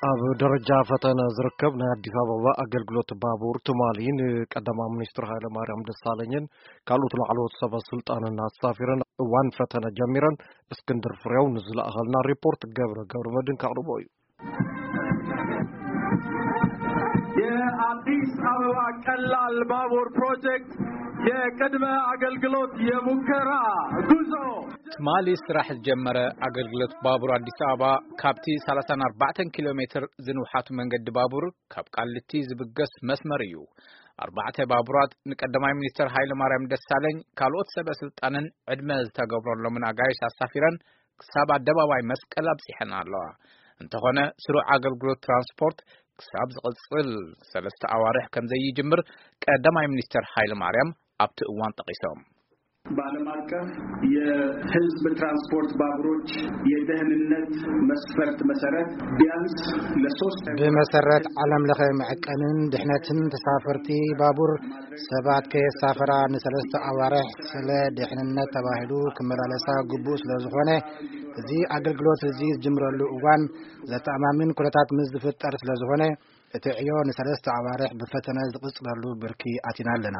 ኣብ ደረጃ ፈተነ ዝርከብ ናይ ኣዲስ ኣበባ ኣገልግሎት ባቡር ትማሊ ንቀዳማይ ሚኒስትር ሃይለ ማርያም ደሳለኝን ካልኦት ላዕለዎት ሰበ ስልጣንን ኣሳፊረን እዋን ፈተነ ጀሚረን። እስክንድር ፍሬው ንዝለኣኸልና ሪፖርት ገብረ ገብረ መድን ካቕርቦ እዩ። የአዲስ አበባ ቀላል ባቡር ፕሮጀክት የቅድመ አገልግሎት የሙከራ ጉዞ። ትማሊ ስራሕ ዝጀመረ ኣገልግሎት ባቡር ኣዲስ ኣበባ ካብቲ ሰላሳን ኣርባዕተን ኪሎ ሜትር ዝንውሓቱ መንገዲ ባቡር ካብ ቃሊቲ ዝብገስ መስመር እዩ። ኣርባዕተ ባቡራት ንቀዳማይ ሚኒስትር ሃይለ ማርያም ደሳለኝ ካልኦት ሰበ ስልጣንን ዕድመ ዝተገብረሎምን ኣጋይሽ ኣሳፊረን ክሳብ ኣደባባይ መስቀል ኣብጺሐን ኣለዋ። እንተኾነ ስሩዕ ኣገልግሎት ትራንስፖርት ክሳብ ዝቕጽል ሰለስተ ኣዋርሕ ከም ዘይጅምር ቀዳማይ ሚኒስትር ሃይለ ማርያም ኣብቲ እዋን ጠቒሶም። በዓለም አቀፍ የህዝብ ትራንስፖርት ባቡሮች የደህንነት መስፈርት መሰረት ቢያንስ ለሶስት ብመሰረት ዓለም ለኸ መዐቀንን ድሕነትን ተሳፈርቲ ባቡር ሰባት ከየሳፈራ ንሰለስተ ኣዋርሕ ስለ ድሕንነት ተባሂሉ ክመላለሳ ግቡእ ስለ ዝኾነ፣ እዚ ኣገልግሎት እዚ ዝጅምረሉ እዋን ዘተኣማምን ኩነታት ምስ ዝፍጠር ስለ ዝኾነ፣ እቲ ዕዮ ንሰለስተ ኣዋርሕ ብፈተነ ዝቕጽለሉ ብርኪ ኣቲና ኣለና።